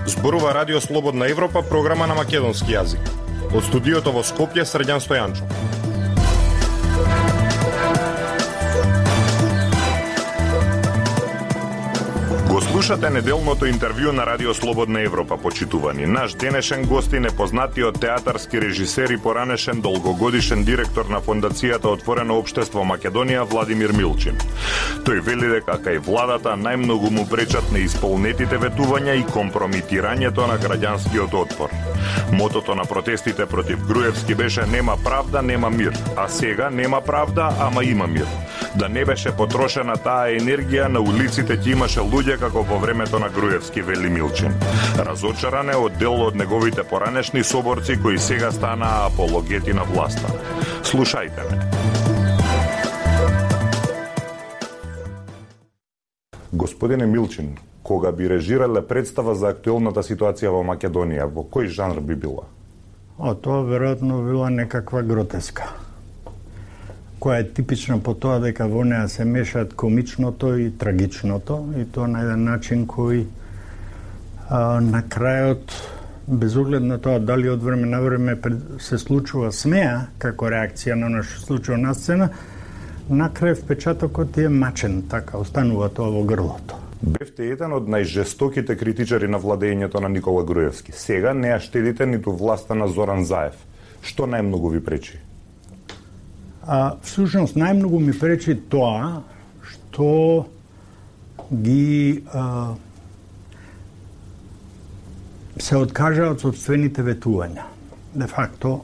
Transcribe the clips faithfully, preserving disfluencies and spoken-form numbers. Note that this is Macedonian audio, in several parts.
Зборува Радио Слободна Европа, програма на македонски јазик. Од студиото во Скопје, Срđan Стојанчов. Го слушате неделното интервју на Радио Слободна Европа, почитувани. Наш денешен гостин е познатиот театарски режисер и поранешен долгогодишен директор на Фондацијата Отворено општество Македонија Владимир Милчин. Тој вели дека кај владата најмногу му пречат неисполнетите ветувања и компромитирањето на граѓанскиот отпор. Мотото на протестите против Груевски беше нема правда, нема мир, а сега нема правда, ама има мир. Да не беше потрошена таа енергија на улиците ќе имаше луѓе како во времето на Груевски, вели Милчин. Разочаран е од дел од неговите поранешни соборци кои сега станаа апологети на власта. Слушајте ме. Господине Милчин, кога би режирале представа за актуелната ситуација во Македонија, во кој жанр би била? А тоа веројатно била некаква гротеска, која е типична по тоа дека во неа се мешаат комичното и трагичното, и тоа на еден начин кој а, на крајот, без оглед на тоа дали од време на време се случува смеа како реакција на она што се случува на сцена, на крај впечатокот е мачен, така останува тоа во грлото. Бевте еден од најжестоките критичари на владењето на Никола Груевски. Сега не ја штедите ниту власта на Зоран Заев. Што најмногу ви пречи? А, всушност, најмногу ми пречи тоа што ги а, се откажа од собствените ветувања. Де факто,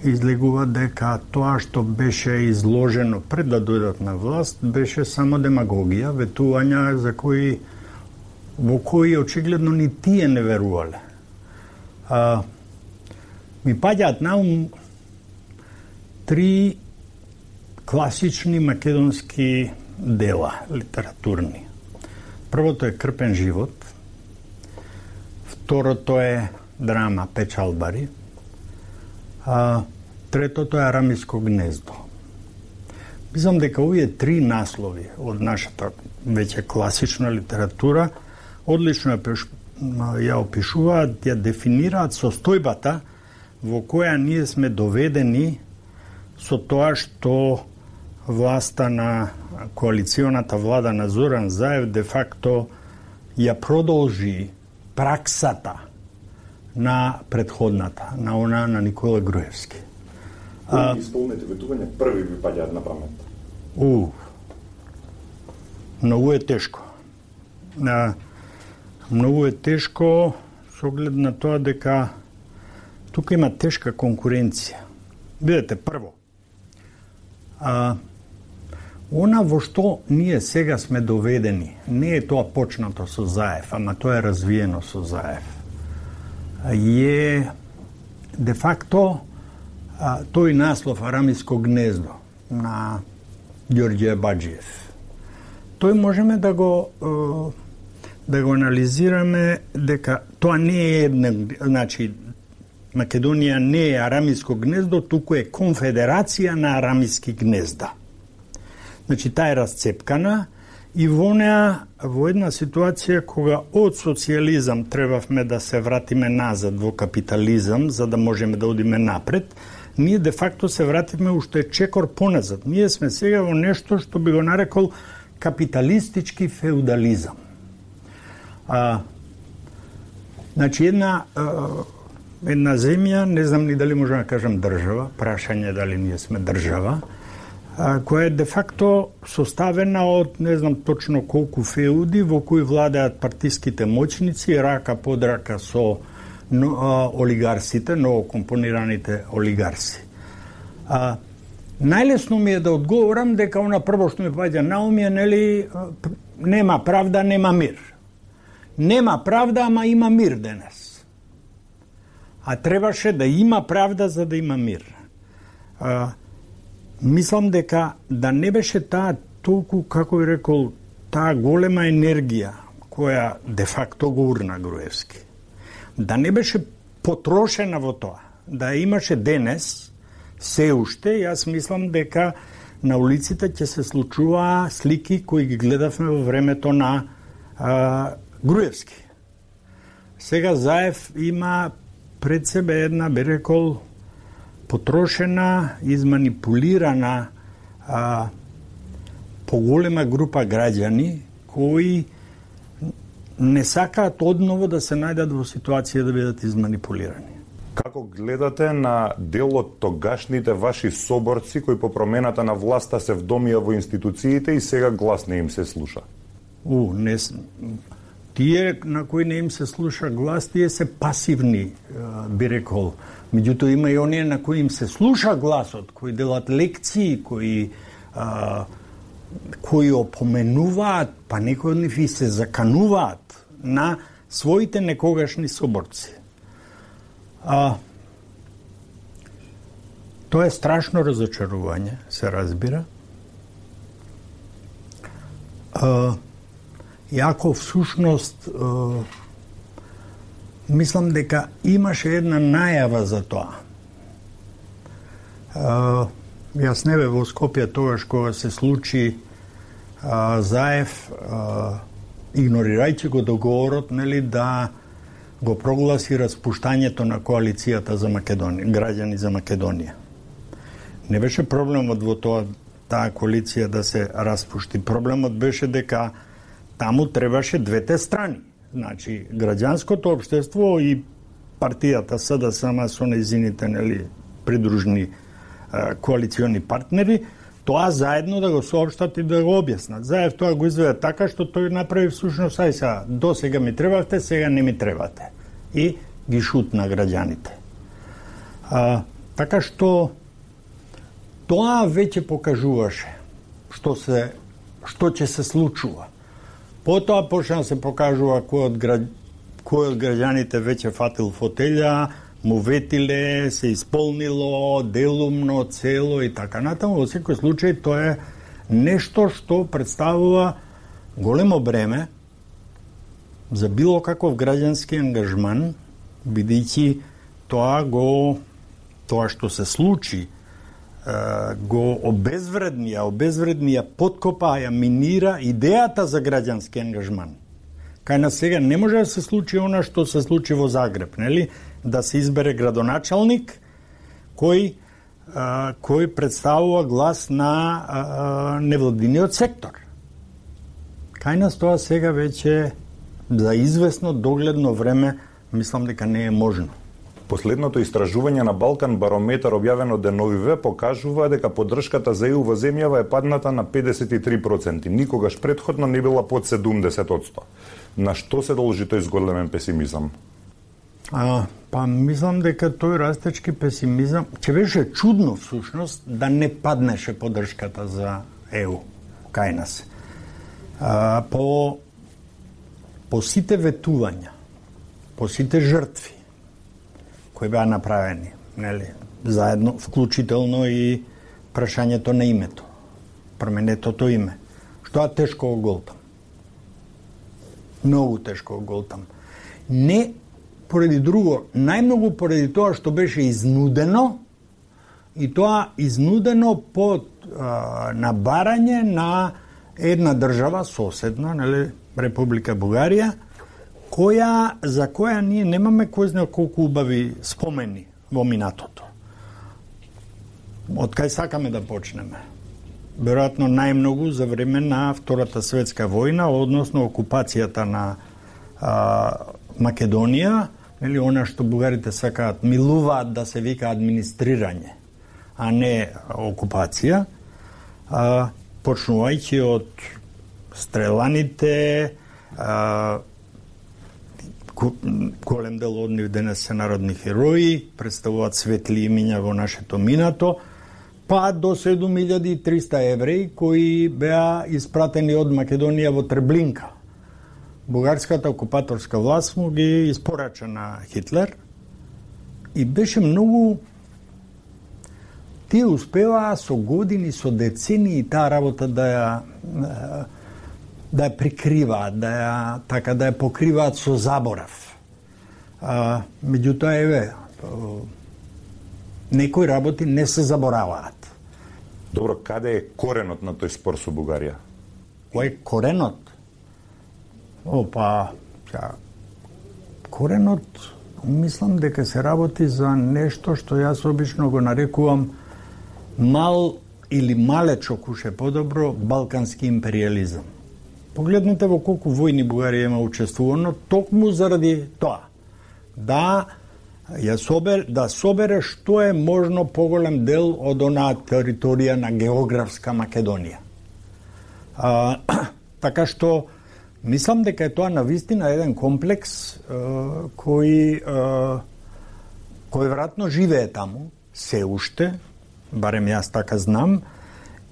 излегува дека тоа што беше изложено пред да дојдат на власт беше само демагогија, ветувања за кои во кои очигледно ни тие не верувале. А, ми паѓаат на ум три класични македонски дела литературни. Првото е Крпен живот, второто е драма Печалбари, а третото е Арамиско гнездо. Мислам дека овие три наслови од нашата веќе класична литература одлично ја опишуваат, ја дефинираат состојбата во која ние сме доведени со тоа што власта на коалиционата влада на Зоран Заев де факто ја продолжи праксата на предходната, на она на Никола Груевски. Кои исполнете ветувања први ви паѓаат на памет? У, многу е тешко. А, многу е тешко со оглед на тоа дека тука има тешка конкуренција. Видете, прво, а, она во што ние сега сме доведени, не е тоа почнато со Заев, ама тоа е развиено со Заев. Е де факто а, тој наслов Арамиско гнездо на Ѓорѓе Баџиев. Тој можеме да го да го анализираме дека тоа не е една, значи Македонија не е Арамиско гнездо, туку е конфедерација на арамиски гнезда. Значи таа е расцепкана и во неа во една ситуација кога од социјализам требавме да се вратиме назад во капитализам за да можеме да одиме напред, ние де факто се вративме уште чекор поназад. Ние сме сега во нешто што би го нарекол капиталистички феудализам. А, значи една а, една земја, не знам ни дали можам да кажам држава, прашање дали ние сме држава, а, која е де факто составена од не знам точно колку феуди во кои владеат партиските моćници, рака под рака со но, а, олигарсите, новокомпонираните олигарси. А, најлесно ми е да одговорам дека она прво што ми паѓа на ум е, нели, нема правда, нема мир. Нема правда, ама има мир денес. А требаше да има правда за да има мир. А, мислам дека да не беше таа толку, како би рекол, таа голема енергија која де факто го урна Груевски, да не беше потрошена во тоа, да имаше денес, се уште, јас мислам дека на улиците ќе се случува слики кои ги гледавме во времето на а, Груевски. Сега Заев има пред себе една, би рекол, потрошена, изманипулирана а, поголема група граѓани кои не сакаат одново да се најдат во ситуација да бидат изманипулирани. Како гледате на дел од тогашните ваши соборци кои по промената на власта се вдомија во институциите и сега глас не им се слуша? У, не тие на кои не им се слуша глас, тие се пасивни, би рекол. Меѓутоа има и оние на кои им се слуша гласот, кои делат лекции, кои а, кои опоменуваат, па некои од нив и се закануваат на своите некогашни соборци. А, тоа е страшно разочарување, се разбира. А, Јако всушност а, мислам дека имаше една најава за тоа. А, јас не бе во Скопје тогаш кога се случи а, Заев, а, игнорирајќи го договорот, нели, да го прогласи распуштањето на коалицијата за Македонија, граѓани за Македонија. Не беше проблемот во тоа таа коалиција да се распушти. Проблемот беше дека таму требаше двете страни. Значи, граѓанското општество и партијата СДСМ со нејзините, нели, придружни а, коалициони партнери, тоа заедно да го соопштат и да го објаснат. Заев тоа го изведе така што тој направи всушност, ај са, до сега ми требавте, сега не ми требате. И ги шутна граѓаните. А, така што тоа веќе покажуваше што се што ќе се случува. Потоа почна да се покажува кој од, гра... кој од граѓаните веќе фатил фотелја, му ветиле, се исполнило, делумно, цело и така натаму. Во секој случај тоа е нешто што представува големо бреме за било каков граѓански ангажман, бидејќи тоа го тоа што се случи го обезвреднија, обезвреднија, подкопа, ја минира идејата за граѓански ангажман. Кај нас сега не може да се случи она што се случи во Загреб, нели? Да се избере градоначалник кој а, кој представува глас на а, невладиниот сектор. Кај нас тоа сега веќе за известно догледно време мислам дека не е можно. Последното истражување на Балкан Барометар објавено деновиве покажува дека поддршката за Е У во земјава е падната на педесет и три проценти. Никогаш претходно не била под седумдесет проценти. На што се должи тој зголемен песимизам? А, па мислам дека тој растечки песимизам ќе беше чудно всушност да не паднеше поддршката за Е У кај нас. А, по по сите ветувања, по сите жртви кои беа направени, нели, заедно, вклучително и прашањето на името, променетото име, што е тешко го голтам. Многу тешко го голтам. Не поради друго, најмногу поради тоа што беше изнудено, и тоа изнудено под а, набарање на една држава соседна, нели, Република Бугарија, која, за која ние немаме кој знае колку убави спомени во минатото. Од кај сакаме да почнеме? Веројатно најмногу за време на Втората светска војна, односно окупацијата на а, Македонија, или она што бугарите сакаат, милуваат да се вика администрирање, а не окупација, а, почнувајќи од стреланите, а, голем дел од нив денес се народни херои, представуваат светли имиња во нашето минато, па до седум илјади и триста евреи кои беа испратени од Македонија во Трблинка. Бугарската окупаторска власт му ги испорача на Хитлер и беше многу... Тие успеваа со години, со децении таа работа да ја да ја прикриваат, да ја така да ја покриваат со заборав. А, меѓутоа еве некои работи не се забораваат. Добро, каде е коренот на тој спор со Бугарија? Кој е коренот? Опа, ја, коренот, мислам дека се работи за нешто што јас обично го нарекувам мал или малечок уше подобро балкански империализам. Погледнете во колку војни Бугарија има учествувано, токму заради тоа. Да ја собер, да собере што е можно поголем дел од онаа територија на географска Македонија. А, така што мислам дека е тоа навистина еден комплекс а, кој а, кој веројатно живее таму се уште, барем јас така знам,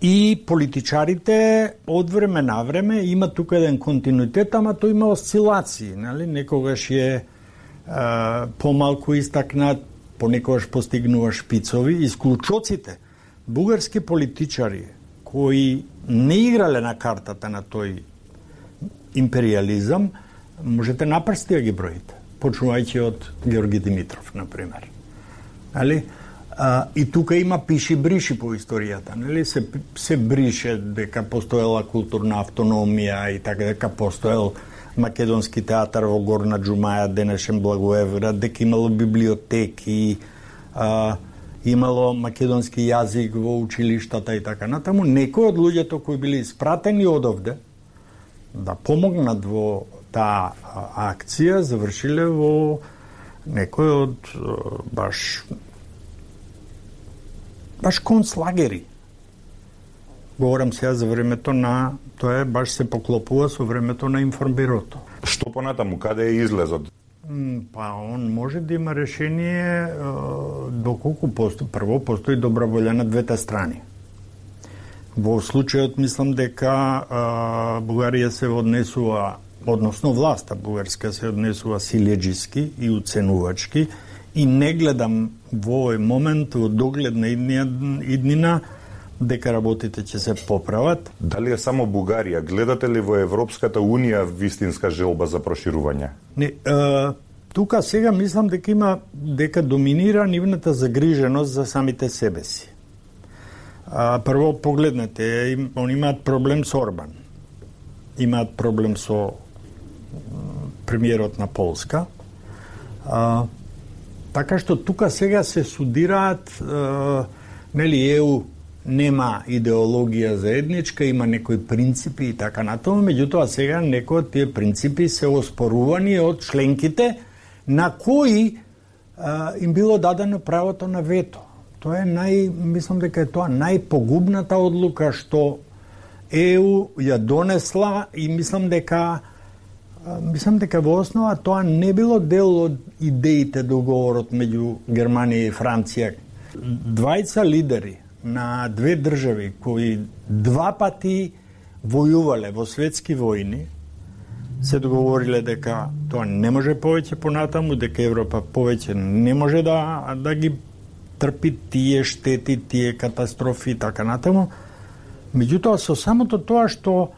и политичарите од време на време има тука еден континуитет, ама тој има осцилации, нели? Некогаш е а, помалку истакнат, понекогаш постигнува шпицови. Исклучоците, бугарски политичари кои не играле на картата на тој империализам, можете на прсти да ги броите, почнувајќи од Георги Димитров, например. Али? А, и тука има пиши бриши по историјата, нели? Се, се брише дека постоела културна автономија и така, дека постоел македонски театар во Горна Џумаја, денешен Благоевград, дека имало библиотеки, а, имало македонски јазик во училиштата и така натаму. Некои од луѓето кои били испратени одовде да помогнат во таа акција завршиле во некои од баш баш концлагери. Говорам сега за времето на, тоа е баш се поклопува со времето на информбирото. Што понатаму, каде е излезот? Па он може да има решение доколку постои, прво постои добра волја на двете страни. Во случајот мислам дека а, Бугарија се однесува, односно власта бугарска се однесува силеџиски и уценувачки, и не гледам во овој момент, во догледна иднина, дека работите ќе се поправат. Дали е само Бугарија? Гледате ли во Европската Унија вистинска желба за проширување? Не, е, тука сега мислам дека има, дека доминира нивната загриженост за самите себе си. А, прво погледнете, им, они имаат проблем со Орбан. Имаат проблем со премиерот на Полска. А, така што тука сега се судираат, е, нели, ЕУ нема идеологија заедничка, има некои принципи и така натаму, меѓутоа сега некои од тие принципи се оспорувани од членките на кои а, им било дадено правото на вето. Тоа е нај, мислам дека е тоа најпогубната одлука што ЕУ ја донесла, и мислам дека мислам дека во основа тоа не било дел од идеите договорот меѓу Германија и Франција. Двајца лидери на две држави кои два пати војувале во светски војни се договориле дека тоа не може повеќе понатаму, дека Европа повеќе не може да да ги трпи тие штети, тие катастрофи и така натаму. Меѓутоа со самото тоа што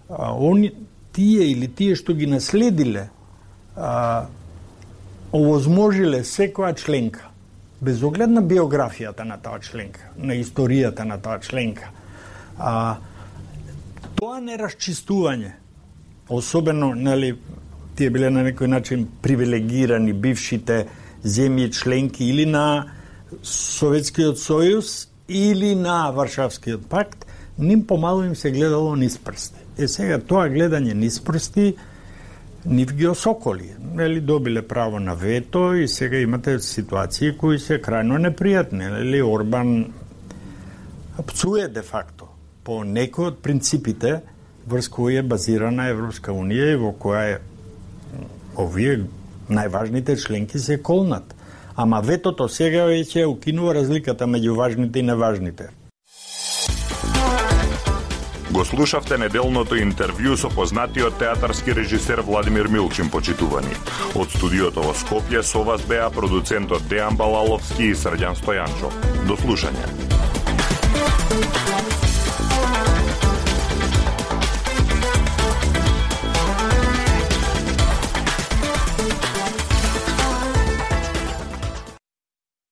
а, они тие или тие што ги наследиле а, овозможиле секоја членка, без оглед на биографијата на таа членка, на историјата на таа членка, а, тоа нерасчистување, особено, нели, тие биле на некој начин привилегирани бившите земји членки или на Советскиот сојуз или на Варшавскиот пакт, ним помалу им се гледало низ прсти. Е сега тоа гледање низ прсти нив ги осоколи. Нели, добиле право на вето и сега имате ситуации кои се крајно непријатни. Нели, Орбан пцуе де факто по некои од принципите врз кои е базирана Европска Унија и во која е овие најважните членки се колнат. Ама ветото сега веќе укинува разликата меѓу важните и неважните. Го слушавте неделното интервју со познатиот театарски режисер Владимир Милчин, почитувани. Од студиото во Скопје со вас беа продуцентот Дејан Балаловски и Срđan Стојанчов. До слушање.